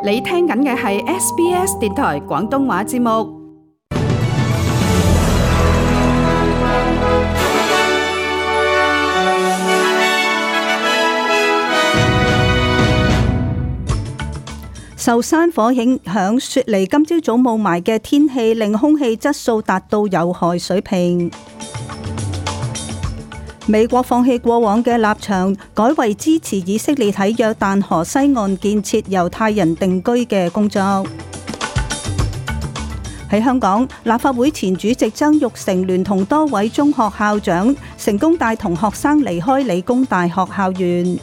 你聽緊嘅係 SBS 電台廣東話節目。受山火影響，雪梨今朝早霧霾嘅天氣令空氣質素達到有害水平。美國放棄過往嘅立場，改為支持以色列喺約旦河西岸建設猶太人定居嘅工作。喺香港，立法會前主席曾鈺成聯同多位中學校長成功帶同學生離開理工大學校園。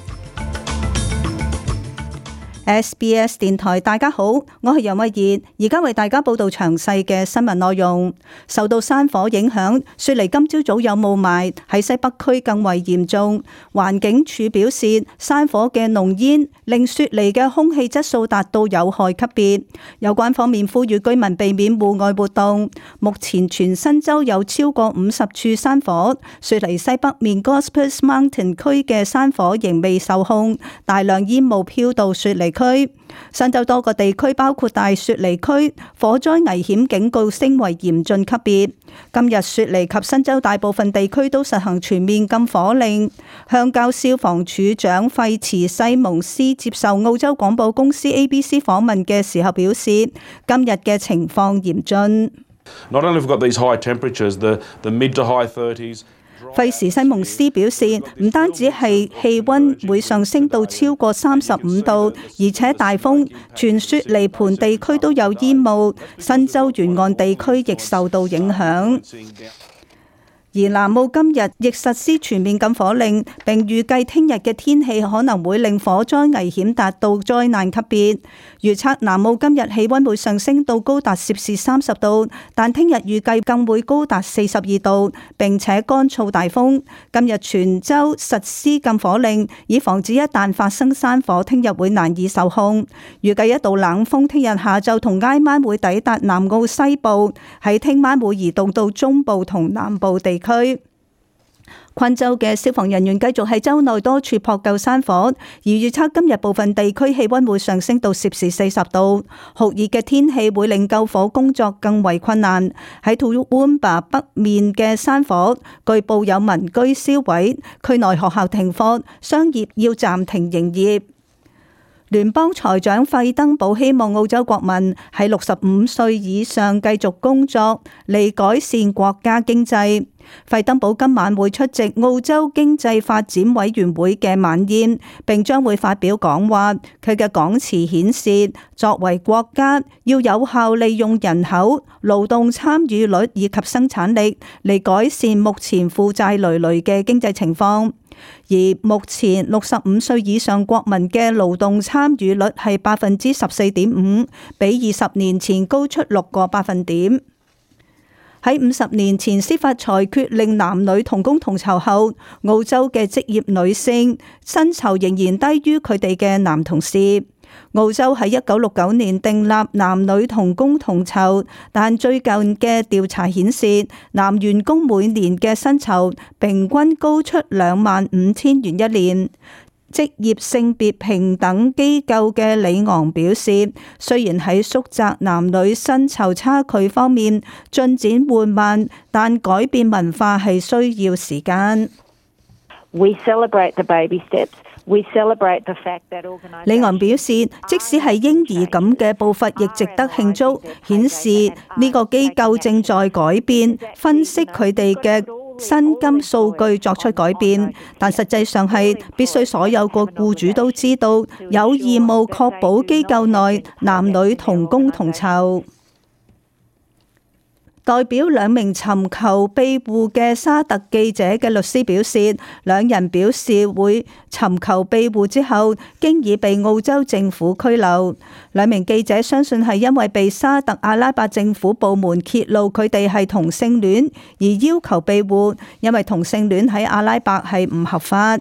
SBS 電台，大家好，我係楊慧儀，而家為大家報道詳細嘅新聞內容。受到山火影響，雪梨今朝早有霧霾，喺西北區更為嚴重。環境署表示，山火嘅濃煙令雪梨嘅空氣質素達到有害級別，有關方面呼籲居民避免戶外活動。目前全新州有超過50處山火，雪梨西北面 Gospers Mountain 區嘅山火仍未受控，大量煙霧飄到雪梨區。新州多個地區包括大雪梨區，火災危險警告升為嚴峻級別。今日雪梨及新州大部分地區都實行全面禁火令。鄉郊消防處長費茨西蒙斯接受澳洲廣播公司 ABC 訪問嘅時候表示，今日嘅情況嚴峻。Not only have we got these high temperatures, the mid to high 30s. 費茨西蒙斯表示，唔單止係氣温會上升到超過35度，而且大風，全雪梨盆地區都有煙霧，新州沿岸地區亦受到影響。而南澳今日亦實施全面禁火令，並預計聽日嘅天氣可能會令火災危險達到災難級別。預測南澳今日氣温會上升到高達攝氏30度，但聽日預計更會高達42度，並且乾燥大風。今日全州實施禁火令，以防止一旦發生山火，聽日會難以受控。預計一道冷風聽日下晝同挨晚會抵達南澳西部，喺聽晚會移動到中部同南部地區。昆州嘅消防人員繼續喺州內多處撲救山火，而預測今日部分地區氣溫會上升到攝氏40度。酷熱嘅天氣會令救火工作更為困難。喺 Toowoomba 北面嘅山火，據報有民居燒毀，區內學校停課，商業要暫停營業。聯邦財長費登堡希望澳洲國民喺65歲以上繼續工作，嚟改善國家經濟。費登堡今晚會出席澳洲經濟發展委員會嘅晚宴，並將會發表講話。佢嘅講詞顯示，作為國家要有效利用人口、勞動參與率以及生產力嚟改善目前負債累累嘅經濟情況。而目前65歲以上國民嘅勞動參與率係14.5%，比20年前高出6個百分點。喺50年前司法裁決令男女同工同酬後，澳洲嘅職業女性薪酬仍然低於佢哋嘅男同事。澳洲喺1969年訂立男女同工同酬，但最近嘅調查顯示，男員工每年嘅薪酬平均高出25,000元一年。職業性別平等機構嘅里昂表示，雖然喺縮窄男女薪酬差距方面進展緩慢，但改變文化係需要時間。We celebrate the baby steps. We celebrate the fact that organizations. 里昂表示，即使係嬰兒咁嘅步伐，亦值得慶祝，顯示呢個機構正在改變，分析佢哋嘅薪金數據作出改變，但實際上係必須所有個僱主都知道，有義務確保機構內男女同工同酬。代表2名尋求庇護嘅沙特記者嘅律師表示，2人表示會尋求庇護之後，經已被澳洲政府拘留。2名記者相信係因為被沙特阿拉伯政府部門揭露佢哋係同性戀而要求庇護，因為同性戀喺阿拉伯係唔合法。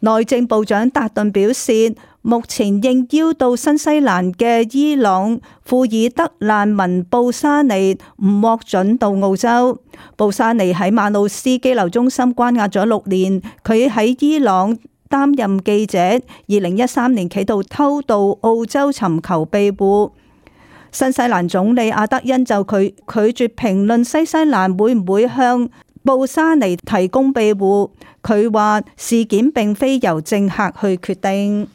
內政部長達頓表示，目前應邀到新西蘭嘅伊朗庫爾德難民布沙尼唔獲准到澳洲。布沙尼喺馬魯斯羈留中心關押咗6年，佢喺伊朗擔任記者，2013年企圖偷渡澳洲尋求庇護。新西蘭總理阿德恩就拒絕評論新西蘭會唔會向布沙尼提供庇護。佢話事件並非由政客去決定。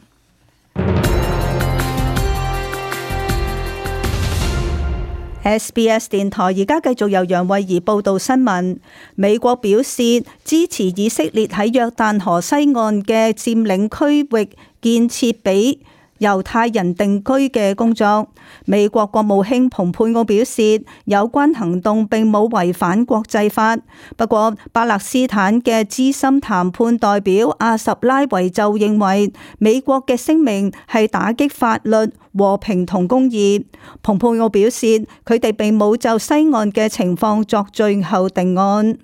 SBS 電台而家繼續由楊慧儀報道新聞。美國表示支持以色列喺約旦河西岸嘅佔領區域建設俾猶太人定居嘅工作。美國國務卿蓬佩奧表示，有關行動並冇違反國際法。不過，巴勒斯坦嘅資深談判代表阿什拉維就認為，美國嘅聲明係打擊法律、和平同公義。蓬佩奧表示，佢哋並冇就西岸嘅情況作最後定案。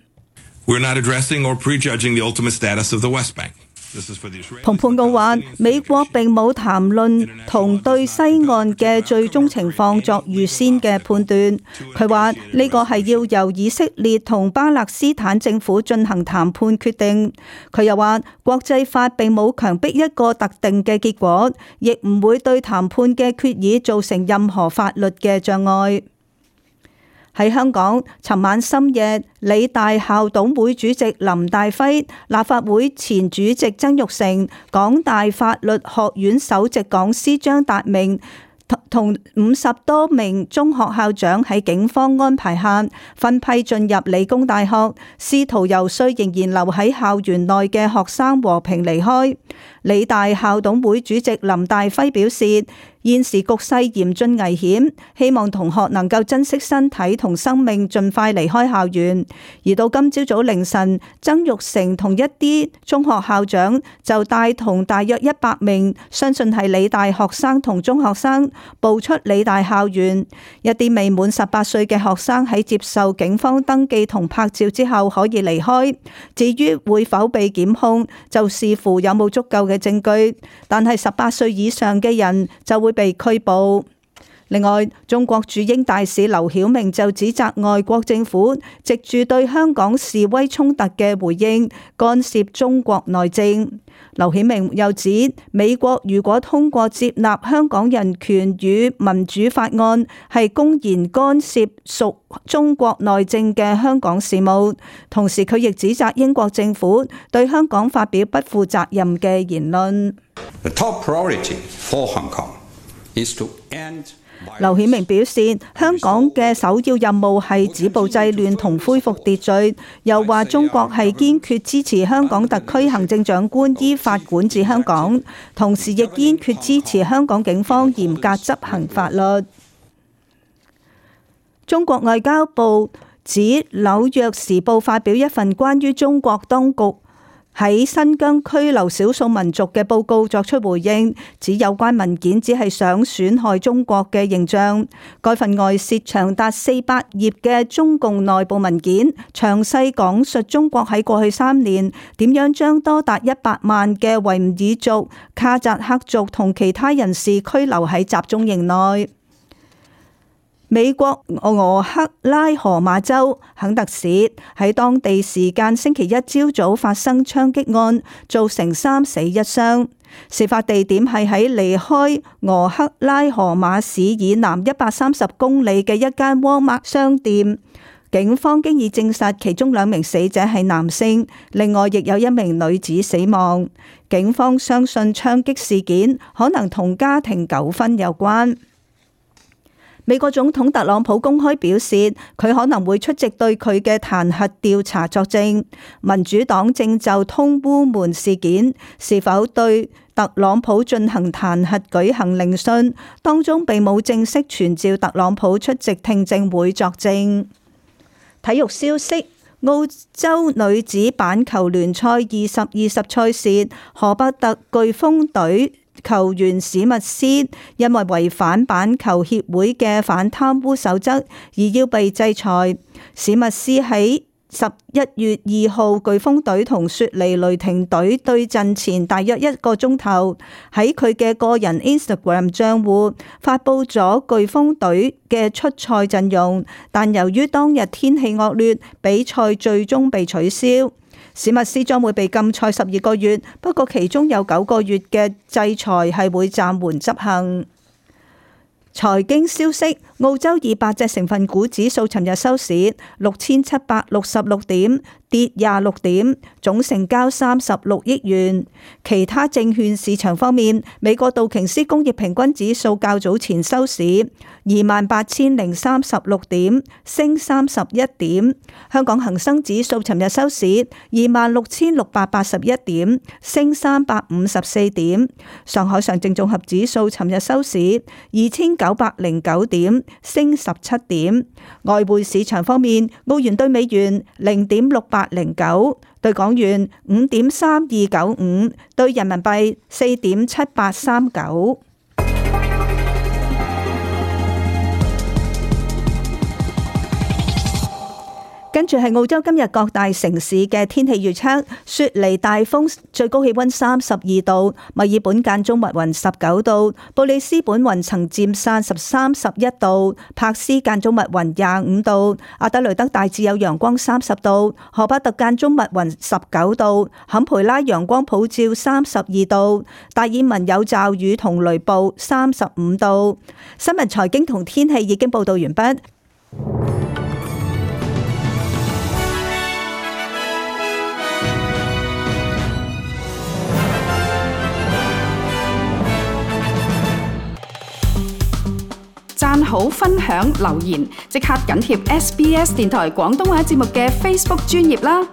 We're not addressing or prejudging the ultimate status of the West Bank.蓬佩奧話：美國並冇談論同對西岸嘅最終情況作預先嘅判斷。佢話呢個係要由以色列同巴勒斯坦政府進行談判決定。佢又話國際法並冇強迫一個特定嘅結果，亦唔會對談判嘅決議造成任何法律嘅障礙。喺香港，尋晚深夜，理大校董會主席林大輝、立法會前主席曾鈺成、港大法律學院首席講師張達明同50多名中學校長喺警方安排下分批進入理工大學，試圖遊說仍然留喺校園內嘅學生和平離開。理大校董會主席林大輝表示，現時局勢嚴峻危險，希望同學能夠珍惜身體同生命，盡快離開校園。而到今朝早凌晨，曾鈺成同一啲中學校長就帶同大約100名相信係理大學生同中學生步出理大校園。一啲未滿18歲嘅學生喺接受警方登記同拍照之後可以離開。至於會否被檢控，就視乎有冇足夠嘅證據，但係18歲以上嘅人就會被拘捕。另外，中國駐英大使劉曉明就指責外國政府藉住對香港示威衝突嘅回應，干涉中國內政。劉曉明又指，美國如果通過接納香港人權與民主法案，係公然干涉屬中國內政嘅香港事務。同時，佢亦指責英國政府對香港發表不負責任嘅言論。The top priority for Hong Kong is to end劉曉明表示，香港嘅首要任務係止暴制亂同恢復秩序，又話中國係堅決支持香港特區行政長官依法管治香港，同時亦堅決支持香港警方嚴格執行法律。中國外交部指《紐約時報》發表一份關於中國當局喺新疆拘留少數民族嘅報告作出回應，指有關文件只係想損害中國嘅形象。該份外泄長達400頁嘅中共內部文件，詳細講述中國喺過去3年點樣將多達100萬嘅維吾爾族、卡扎克族同其他人士拘留喺集中營內。美國俄克拉荷馬州肯特市喺當地時間星期一朝早發生槍擊案，造成3死1傷。事發地點係喺離開俄克拉荷馬市以南130公里嘅一間沃爾瑪商店。警方經已證實其中2名死者係男性，另外亦有1名女子死亡。警方相信槍擊事件可能同家庭糾紛有關。美國總統特朗普公開表示，佢可能會出席對佢嘅彈劾調查作證。民主黨正就通烏門事件是否對特朗普進行彈劾舉行聆訊，當中並冇正式傳召特朗普出席聽證會作證。體育消息：澳洲女子板球聯賽2020賽事，荷伯特颶風隊球員史密斯因為違反板球協會嘅反貪污守則而要被制裁。史密斯喺11月2號颶風隊同雪梨雷霆隊對陣前大約1個鐘頭，喺佢嘅個人 Instagram 賬戶發佈咗颶風隊嘅出賽陣容，但由於當日天氣惡劣，比賽最終被取消。史密斯將會被禁賽12個月，不過其中有9個月嘅制裁係會暫緩執行。財經消息，澳洲200隻成分股指數尋日收市6766點，跌26點，總成交36億元。其他證券市場方面，美國道瓊斯工業平均指數較早前收市28,036點，升31點。香港恒生指數尋日收市26,681點，升354點。上海上證綜合指數尋日收市2,909點，升17點。外匯市場方面，澳元對美元0.6809，對港元5.3295，對人民幣4.7839。跟住係澳洲今日各大城市嘅天氣預測：雪梨大風，最高氣溫32度；墨爾本間中密雲19度；布里斯本雲層漸散31度；柏斯間中密雲25度；阿德雷德大致有陽光30度；荷巴特間中密雲19度；坎培拉陽光普照32度；達爾文有驟雨同雷暴35度。新聞財經同天氣已經報道完畢。讚好、分享、留言，即刻緊貼SBS 電台廣東話節目嘅 Facebook 專頁啦！